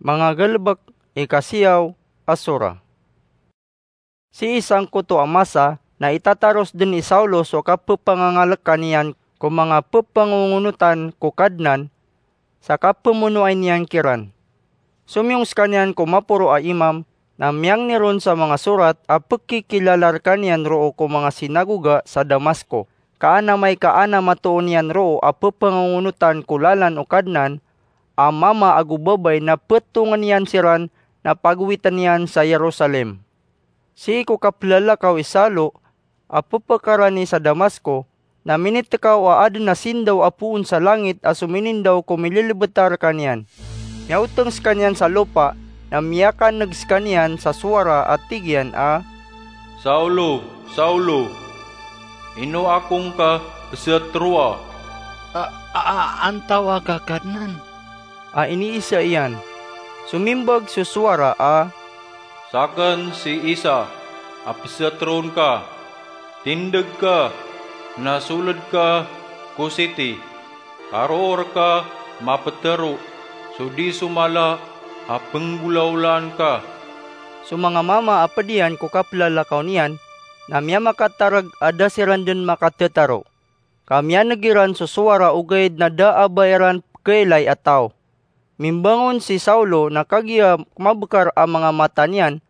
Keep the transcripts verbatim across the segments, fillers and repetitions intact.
Manga Galbk, ika siyaw a surah. Sii sangkoto a masa na itataros dn i Saulo so kapphangangalkan iyan ko manga pphangongonotan ko Kadnan sa kaphamonoay niyan kiran. Somiyong skaniyan ko maporo a imam, na miyangni ron sa manga sorat a pkhikilala rkaniyan roo ko manga sinagoga sa Damasko, ka an amay ka an a matoon iyan roo a pphangongonotan ko lalan o Kadnan a mama ago babay na ptongn iyan siran na pagowitn iyan sa Jerusalem. Sii ko kaplalakaw i Saulo a pphakarani sa Damasko, na minitkaw a adn a sindaw a poon sa langit a sominindaw ko mililbta rkaniyan. Miyaotng skaniyan sa lopa, na miyakan'g skaniyan sa sowara a tig iyan a, "Saulo, Saulo, ino ako ngka pzatroa?" "A, a, a, antawaa ka, Kadnan?" a iniisa iyan. Somimbag so sowara a, "Sakn si Isa a pzatroon ka. Tindg ka, na sold ka ko siti. Karoo rka maptero so di so mala a pnggolawlaan ka." So manga mama a pd iyan ko kaplalakaw niyan, na miyamakatarg a da siran dn makathataro. Ka miyan'g iran so sowara ogaid na da a ba iran pkhailay a taw. Mimbangon si Saulo na kagiya mabkar a manga mata niyan,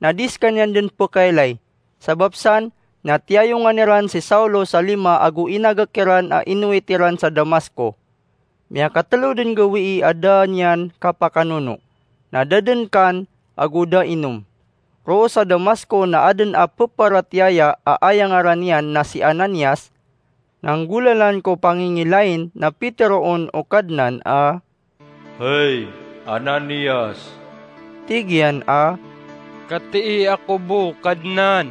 na di skaniyan dn pkhailay. Sabap san na tiyayongan iran si Saulo sa lima ago inagak iran a inowit iran sa Damasko. Miyakatlo dn gawii a da niyan kapakanono, na da dn kan ago da inom. Roo sa Damasko na adn a pparatiyaya a aya ngaran iyan na si Ananias, na nggolalan ko pangingilain na piteroon o Kadnan a, "Hay Ananias!" Tig iyan a, "Katii ako bo, Kadnan."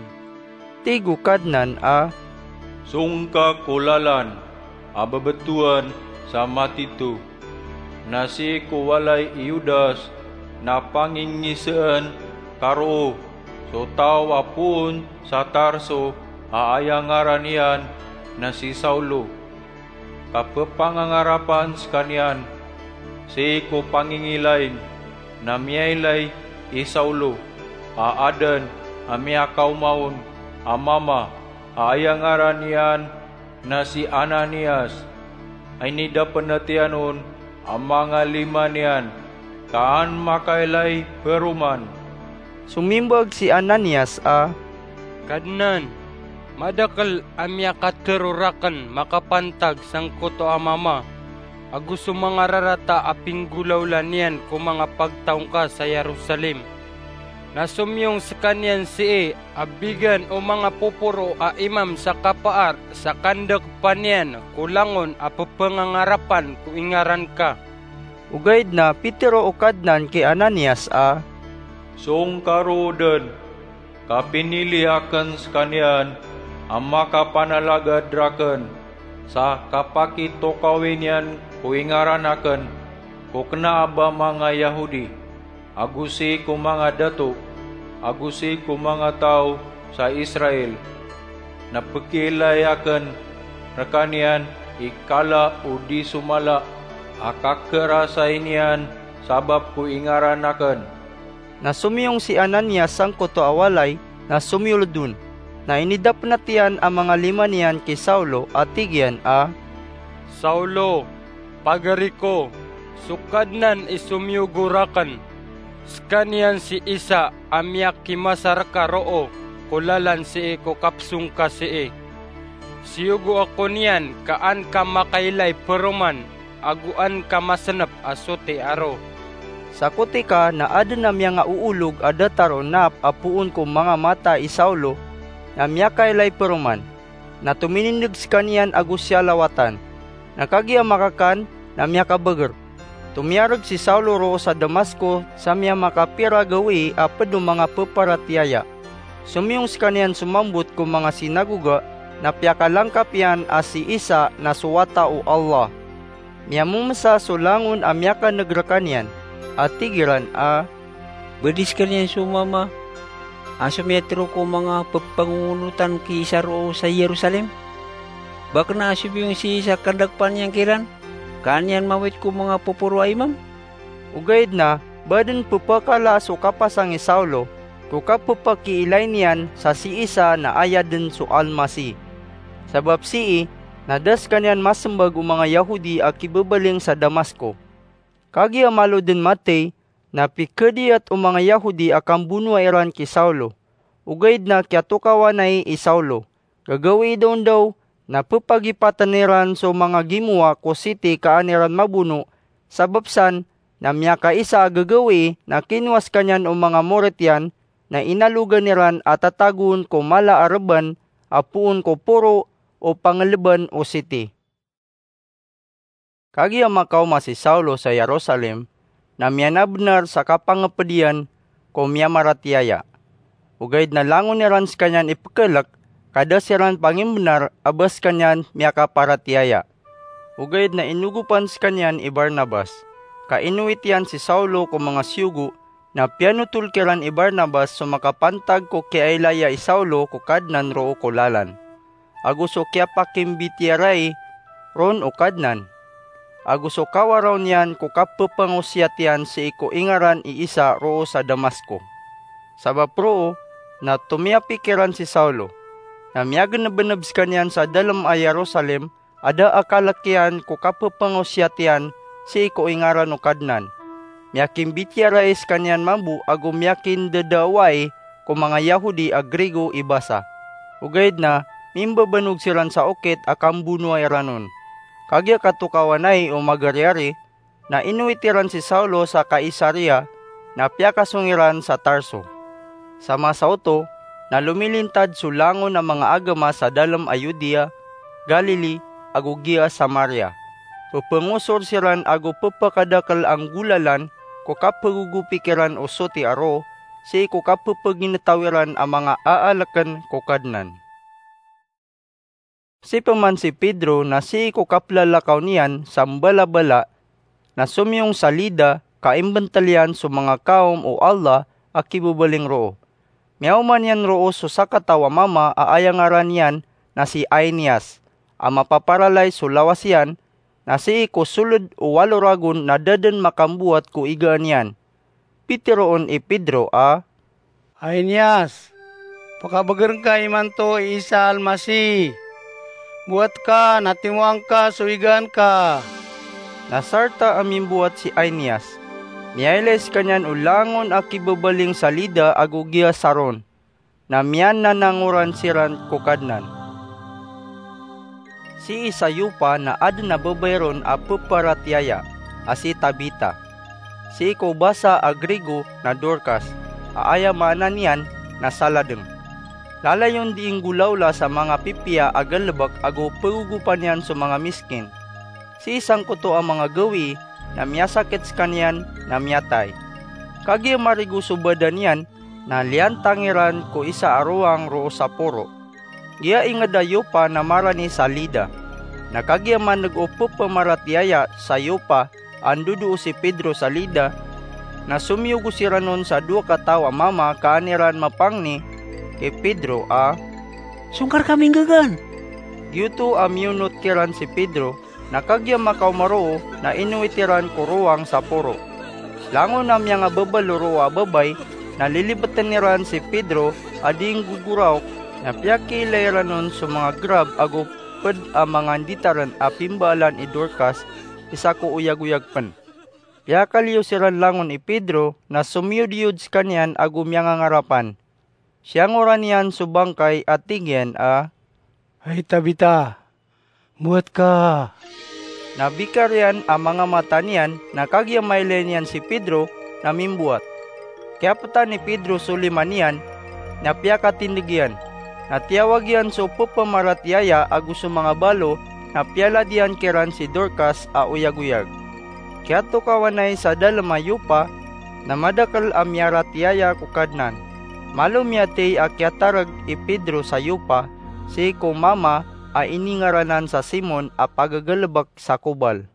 Tig o Kadnan a, "Song ka ko lalan a babtowan sa matito, na sii ko walay i Judas na pangingisaan ka roo so taw a poon sa Tarso a aya ngaran iyan na si Saulo. Kappangangarapan skaniyan sii ko pangingilain na miyailay i Saulo a adn a miyakaoma on a mama a aya ngaran iyan na si Ananias. Inidapn't iyan on a manga lima niyan, ka an makailay paroman." Somimbag si Ananias a, "Kadnan, madakl a miyakatharo rakn makapantag sangkoto a mama ago so manga rarata a pinggolawla niyan ko manga pagtaw ngka sa Jerusalem. Na somiyong skaniyan sii a bigan o manga poporo a imam sa kapaar sa kandakpa niyan ko langon a pphangangarapan ko ingaran ka." Ogaid na pitero o Kadnan ki Ananias a, "Song ka roo dn, ka pinili akn skaniyan a makapanalagad rakn sa kapakitokawi niyan ko ingaran akn ko kna a ba manga Yahudi, ago sii ko manga dato, ago sii ko manga taw sa Israel, na pkhailay akn rkaniyan i kala o di so mala a kakerasay niyan sabap ko ingaran akn." Na somiyong si Ananias sangkoto a walay na somiyold on. Na inidapn't iyan a manga lima niyan ki Saulo a tig iyan a, "Saulo, pagari ko, so Kadnan i somiyogo rakn. Skaniyan si Isa a miyakimasa rka roo ko lalan sii ko kapsong ka sii. Siyogo ako niyan ka an ka makailay paroman ago an ka masnp a soti aro." Sakotika na adn a miyangaoolog a datar o naap a poon ko manga mata i Saulo na miyakailay paroman. Na tominindg skaniyan ago siyalawatan. Na kagiya makakan na miyakabagr. Tomiyarg si Saulo roo sa Damasko sa miyamakapira gawii a pd o manga pparatiyaya. Somiyong skaniyan somambot ko manga sinagoga na piyakalangkap iyan a si Isa na so Wata o Allah. Miyamomsa so langon a miyakan'g rkaniyan, a tig iran a, "Ba di skaniyan so mama a somiyatharo ko manga ppangongonotan ki Isa roo sa Jerusalem? Ba kna a somiyong si Isa a kandakpa niyan kiran, ka an iyan mawit ko manga poporo a imam?" Ogaid na Ba dn pphakala so kapasang i Saulo ko kapphakilay niyan sa sii sa na aya dn so Almasih. Sabap sii na da skaniyan masmbag o manga Yahudi a kibabaling sa Damasco. Kagiya malo dn mathay na pikhdiyat o manga Yahudi a kambonoa iran ki Saulo. Ogaid na kiyatokawanay i Saulo. Gagawii daondaw na pphagipatn iran so manga gimowa ko siti kaan iran mabono, sabap san na miyakaisa a gagawii na kinowa skaniyan o manga morit iyan na inalogan iran a tatagoon ko mala a rban a poon ko poro o panglban o siti. Kagiya makaoma si Saulo sa Jerusalem, na miyanabnar sa kapangpd iyan ko miyamaratiyaya. Ogaid na langon iran skaniyan ipkhalk ka da siran pangimbnar a ba skaniyan miyakaparatiyaya. Ogaid na inogopan skaniyan i Barnabas, ka inowit iyan si Saulo ko manga siyogo, na piyanotol kiran i Barnabas so makapantag ko kiyailaya i Saulo ko Kadnan roo ko lalan, ago so kiyapakimbitiyarai ron o Kadnan, ago so kawaraw niyan ko kapphangosiyat iyan sii ko ingaran i Isa roo sa Damasco. Sabap roo na tomiyapi kiran si Saulo, na miyagnbnb skaniyan sa dalm a Jerusalem a da a kalk iyan ko kapphangosiyat iyan sii ko ingaran o Kadnan. Miyakimbitiyarai skaniyan mambo ago miyakindadawai ko manga Yahudi a Grigo i basa. Ogaid na mimbabanog siran sa okit a kambonoa iran on. Kagiya katokawanay o magariyari, na inowit iran si Saulo sa Kaisaria, na piyakasong iran sa Tarso. Sa masa oto, na lomilintad so langon a manga agama sa dalm a Judea, Galilee, ago giya Samaria. Pphangosor siran ago pphakadakl a nggolalan ko kapgogopi kiran o soti a roo, sii ko kapphagingtaw iran a manga aalkn ko Kadnan. Sii pman si Pedro na sii ko kaplalakaw niyan sa mbalabala, na somiyong sa Lida ka imbntl iyan so manga kaom o Allah a kibabaling roo. Miyaoma niyan roo so sakataw a mama a aya ngaran iyan na si Aeneas, a mapaparalay so lawas iyan, na sii ko soled o walo ragon na da dn makambowat ko igaan iyan. Piteroon i Pedro a, "Aeneas, pakabeger ngka imanto i Isa a Almasih. Mbowat ka na timoang ka so igaan ka." Na sarta a mimbowat si Aeneas. Miyailay skaniyan o langon a kibabaling sa Lida ago giya Saron, na miyananangoran siran ko Kadnan. Sii sa Yopa na adn a babay ron a peparatiyaya a si Tabita, sii ko basa a Grigo na Dorcas, a aya maana niyan na saladng. Lalayon dii nggolawla sa manga pipiya a galbk ago pegogopan iyan so manga miskin. Sii sangkoto a manga gawii na miyasakit skaniyan na miyatay. Kagiya marigo so badan iyan, na liyantang iran ko isa a rowang roo sa poro. Giya ingd a Yopa na marani sa Lida. Na kagiya maneg o pepamaratiyaya sa Yopa a ndodoo si Pedro sa Lida, na somiyogo siran on sa dowa kataw a mama kaan iran mapangni ki Pedro a, "Songka rkami nggagaan?" Giyoto a miyonot kiran si Pedro, na kagiya makaoma roo na inowit iran ko rowang sa poro. Langon a miyangababalo roo a babay, na lilibtn iran si Pedro a dii nggogoraok, na piyakiilay iran on so manga grab ago pd a manga nditarn a pimbaalan i Dorcas, isa ko oyagoyag pn. Piyakaliyo siran langon i Pedro na somiyodiyod skaniyan ago miyangangarapan. Siyangoran iyan so bangkay a tig iyan a, "Hay Tabita, mbowat ka." Na bikar iyan a manga mata niyan, na kagiya mailay niyan si Pedro na mimbowat. Kiyaptan i Pedro so lima niyan, na piyakatindg iyan. Na tiyawag iyan so pepamaratiyaya ago so manga balo, na piyalad iyan kiran si Dorcas a oyagoyag. Kiyatokawanay sa dalm a Yopa na madakl a miyaratiyaya ko Kadnan. Malo miyathay a kiyatarg i Pedro sa Yopa sii ko mama a iningaranan sa Simon a pagagalbk sa kobal.